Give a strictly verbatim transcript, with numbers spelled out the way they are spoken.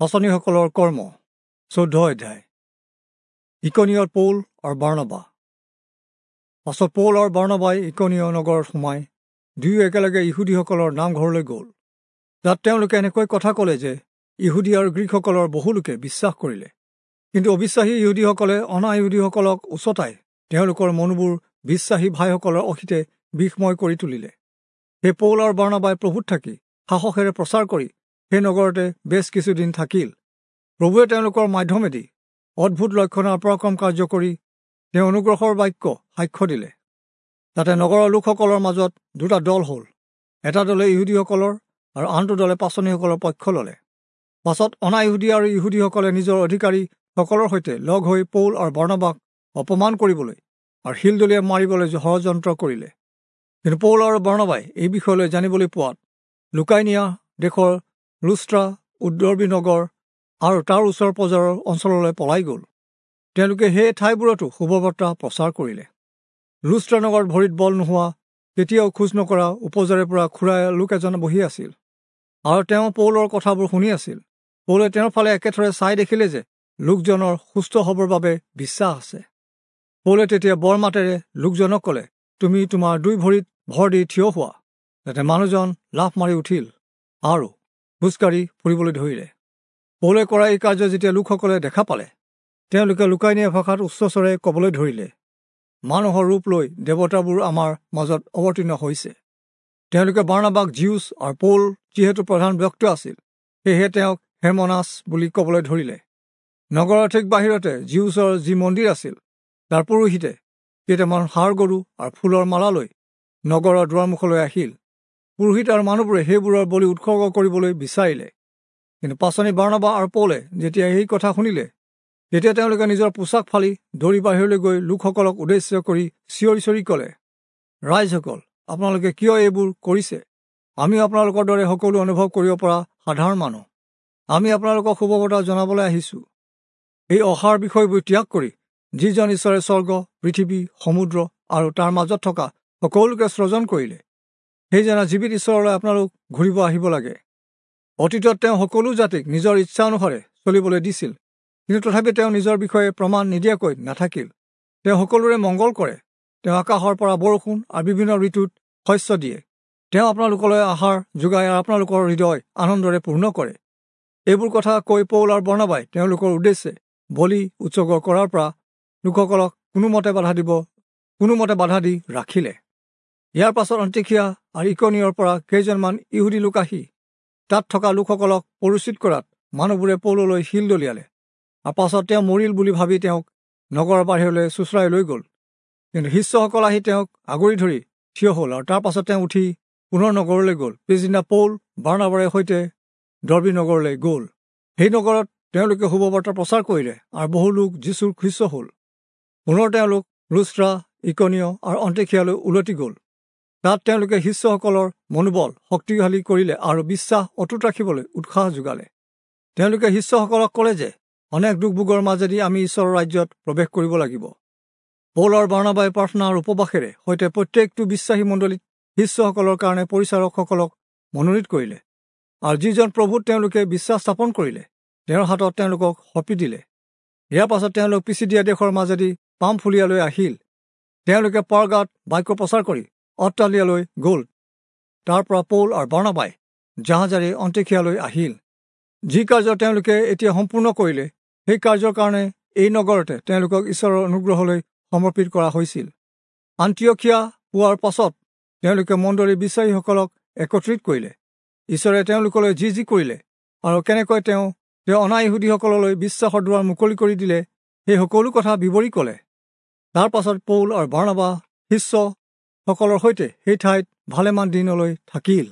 পাঁচনিসকলৰ কৰ্ম চৈধ্য অধ্যায়। ইকনিয়ত পৌল আৰু বাৰ্ণবা। পাছত পৌল আৰু বাৰ্ণবাই ইকনিয় নগৰত সোমাই দুয়ো একেলগে ইহুদীসকলৰ নামঘৰলৈ গ'ল। তাত তেওঁলোকে এনেকৈ কথা ক'লে যে ইহুদী আৰু গ্ৰীকসকলৰ বহুলোকে বিশ্বাস কৰিলে। কিন্তু অবিশ্বাসী ইহুদীসকলে অনা ইহুদীসকলক উচতাই তেওঁলোকৰ মনবোৰ বিশ্বাসী ভাইসকলৰ অহিতে বিষময় কৰি তুলিলে। সেই পৌল আৰু বাৰ্ণবাই প্ৰভুত থাকি সাহসেৰে প্ৰচাৰ কৰি সেই নগৰতে বেছ কিছুদিন থাকিল। প্ৰভুৱে তেওঁলোকৰ মাধ্যমেদি অদ্ভুত লক্ষণ আৰু পৰাক্ৰম কাৰ্য কৰি তেওঁ অনুগ্ৰহৰ বাক্য সাক্ষ্য দিলে। তাতে নগৰৰ লোকসকলৰ মাজত দুটা দল হ'ল। এটা দলে ইহুদীসকলৰ আৰু আনটো দলে পাঁচনিসকলৰ পক্ষ ল'লে। পাছত অনা ইহুদী আৰু ইহুদীসকলে নিজৰ অধিকাৰীসকলৰ সৈতে লগ হৈ পৌল আৰু বাৰ্ণবাক অপমান কৰিবলৈ আৰু শিলদলিয়াই মাৰিবলৈ ষড়যন্ত্ৰ কৰিলে। কিন্তু পৌল আৰু বাৰ্ণবাই এই বিষয়লৈ জানিবলৈ পোৱাত লুকাইনিয়া দেশৰ লুস্ত্ৰা, উদৰ্বী নগৰ আৰু তাৰ ওচৰ পাজৰৰ অঞ্চললৈ পলাই গ'ল। তেওঁলোকে সেই ঠাইবোৰতো শুভবাৰ্তা প্ৰচাৰ কৰিলে। লুস্ত্ৰা নগৰত ভৰিত বল নোহোৱা, কেতিয়াও খোজ নকৰা উপজাৰে পৰা খুৰাই লোক এজন বহি আছিল আৰু তেওঁ পৌলৰ কথাবোৰ শুনি আছিল। পৌলে তেওঁৰ ফালে একেথৰে চাই দেখিলে যে লোকজনৰ সুস্থ হ'বৰ বাবে বিশ্বাস আছে। পৌলে তেতিয়া বৰ মাতেৰে লোকজনক ক'লে, তুমি তোমাৰ দুই ভৰিত ভৰ দি থিয় হোৱা। যাতে মানুহজন লাফ মাৰি উঠিল আৰু খোজকাঢ়ি ফুৰিবলৈ ধৰিলে। পৌলে কৰা এই কাৰ্য যেতিয়া লোকসকলে দেখা পালে, তেওঁলোকে লুকাইনিয়া ভাষাত উচ্চস্বৰে ক'বলৈ ধৰিলে, মানুহৰ ৰূপ লৈ দেৱতাবোৰ আমাৰ মাজত অৱতীৰ্ণ হৈছে। তেওঁলোকে বাৰ্ণবাক জিউচ আৰু পৌল যিহেতু প্ৰধান ব্যক্তি আছিল, সেয়েহে তেওঁক হেৰমনাছ বুলি ক'বলৈ ধৰিলে। নগৰৰ ঠিক বাহিৰতে জিউচৰ যি মন্দিৰ আছিল, তাৰ পুৰোহিতে কেইটামান ষাঁড় গৰু আৰু ফুলৰ মালা লৈ নগৰৰ দুৱাৰমুখলৈ আহিল। পুৰোহিত আৰু মানুহবোৰে সেইবোৰৰ বলি উৎসৰ্গ কৰিবলৈ বিচাৰিলে। কিন্তু পাঁচনি বাৰ্ণবা আৰু পৌলে যেতিয়া এই কথা শুনিলে, তেতিয়া তেওঁলোকে নিজৰ পোছাক ফালি দৌৰি বাহিৰলৈ গৈ লোকসকলক উদ্দেশ্য কৰি চিঞৰি চিঞৰি ক'লে, ৰাইজসকল, আপোনালোকে কিয় এইবোৰ কৰিছে? আমি আপোনালোকৰ দৰে সকলো অনুভৱ কৰিব পৰা সাধাৰণ মানুহ। আমি আপোনালোকক শুভবাৰ্তা জনাবলৈ আহিছোঁ। এই অসাৰ বিষয়বোৰ ত্যাগ কৰি যিজন ঈশ্বৰে স্বৰ্গ, পৃথিৱী, সমুদ্ৰ আৰু তাৰ মাজত থকা সকলোকে সৃজন কৰিলে, সেইজনা জীৱিত ঈশ্বৰলৈ আপোনালোক ঘূৰিব আহিব লাগে। অতীতত তেওঁ সকলো জাতিক নিজৰ ইচ্ছা অনুসাৰে চলিবলৈ দিছিল, কিন্তু তথাপি তেওঁ নিজৰ বিষয়ে প্ৰমাণ নিদিয়াকৈ নাথাকিল। তেওঁ সকলোৰে মংগল কৰে। তেওঁ আকাশৰ পৰা বৰষুণ আৰু বিভিন্ন ঋতুত শস্য দিয়ে। তেওঁ আপোনালোকলৈ আহাৰ যোগায় আৰু আপোনালোকৰ হৃদয় আনন্দৰে পূৰ্ণ কৰে। এইবোৰ কথা কৈ পৌল আৰু বাৰ্ণবাই তেওঁলোকৰ উদ্দেশ্যে বলি উৎসৰ্গ কৰাৰ পৰা লোকসকলক কোনোমতে বাধা দিব কোনোমতে বাধা দি ৰাখিলে। ইয়াৰ পাছত অন্তিখিয়া আৰু ইকনিয়ৰ পৰা কেইজনমান ইহুদী লোক আহি তাত থকা লোকসকলক পৰিচিত কৰাত মানুহবোৰে পৌললৈ শিল দলিয়ালে আৰু পাছত তেওঁ মৰিল বুলি ভাবি তেওঁক নগৰৰ বাহিৰলৈ চোঁচৰাই লৈ গ'ল। কিন্তু শিষ্যসকল আহি তেওঁক আগুৰি ধৰি থিয় হ'ল আৰু তাৰ পাছত তেওঁ উঠি পুনৰ নগৰলৈ গ'ল। পিছদিনা পৌল বাৰ্ণবাৰে সৈতে দৰ্বী নগৰলৈ গ'ল। সেই নগৰত তেওঁলোকে শুভবাৰ্তা প্ৰচাৰ কৰিলে আৰু বহু লোক যীচুৰ শিষ্য হ'ল। পুনৰ তেওঁলোক লুস্ত্ৰা, ইকনিয় আৰু অন্তিখিয়ালৈ উলটি গ'ল। তাত তেওঁলোকে শিষ্যসকলৰ মনোবল শক্তিশালী কৰিলে আৰু বিশ্বাস অটুট ৰাখিবলৈ উৎসাহ যোগালে। তেওঁলোকে শিষ্যসকলক ক'লে যে অনেক দুখ ভোগৰ মাজেদি আমি ঈশ্বৰৰ ৰাজ্যত প্ৰৱেশ কৰিব লাগিব। পৌল আৰু বাৰ্ণবাই প্ৰাৰ্থনা আৰু উপবাসেৰে সৈতে প্ৰত্যেকটো বিশ্বাসী মণ্ডলীত শিষ্যসকলৰ কাৰণে পৰিচাৰকসকলক মনোনীত কৰিলে আৰু যিজন প্ৰভুত তেওঁলোকে বিশ্বাস স্থাপন কৰিলে তেওঁৰ হাতত তেওঁলোকক সঁপি দিলে। ইয়াৰ পাছত তেওঁলোক পিছিদিয়া দেশৰ মাজেদি পামফুলিয়ালৈ আহিল। তেওঁলোকে পাৰগাত বাক্য প্ৰচাৰ কৰি অট্টালিয়ালৈ গ'ল। তাৰ পৰা পৌল আৰু বাৰ্ণবাই জাহাজেৰে অন্তিখিয়ালৈ আহিল। যি কাৰ্য তেওঁলোকে এতিয়া সম্পূৰ্ণ কৰিলে, সেই কাৰ্যৰ কাৰণে এই নগৰতে তেওঁলোকক ঈশ্বৰৰ অনুগ্ৰহলৈ সমৰ্পিত কৰা হৈছিল। আন্তিয়খিয়া পোৱাৰ পাছত তেওঁলোকে মণ্ডলীৰ বিশ্বাসীসকলক একত্ৰিত কৰিলে। ঈশ্বৰে তেওঁলোকলৈ যি যি কৰিলে আৰু কেনেকৈ তেওঁ তেওঁ অনা ইহুদীসকললৈ বিশ্বাসৰ দুৱাৰ মুকলি কৰি দিলে, সেই সকলো কথা বিৱৰি ক'লে। তাৰ পাছত পৌল আৰু বাৰ্ণবা শিষ্যসকলৰ সৈতে সেই ঠাইত ভালেমান দিনলৈ থাকিল।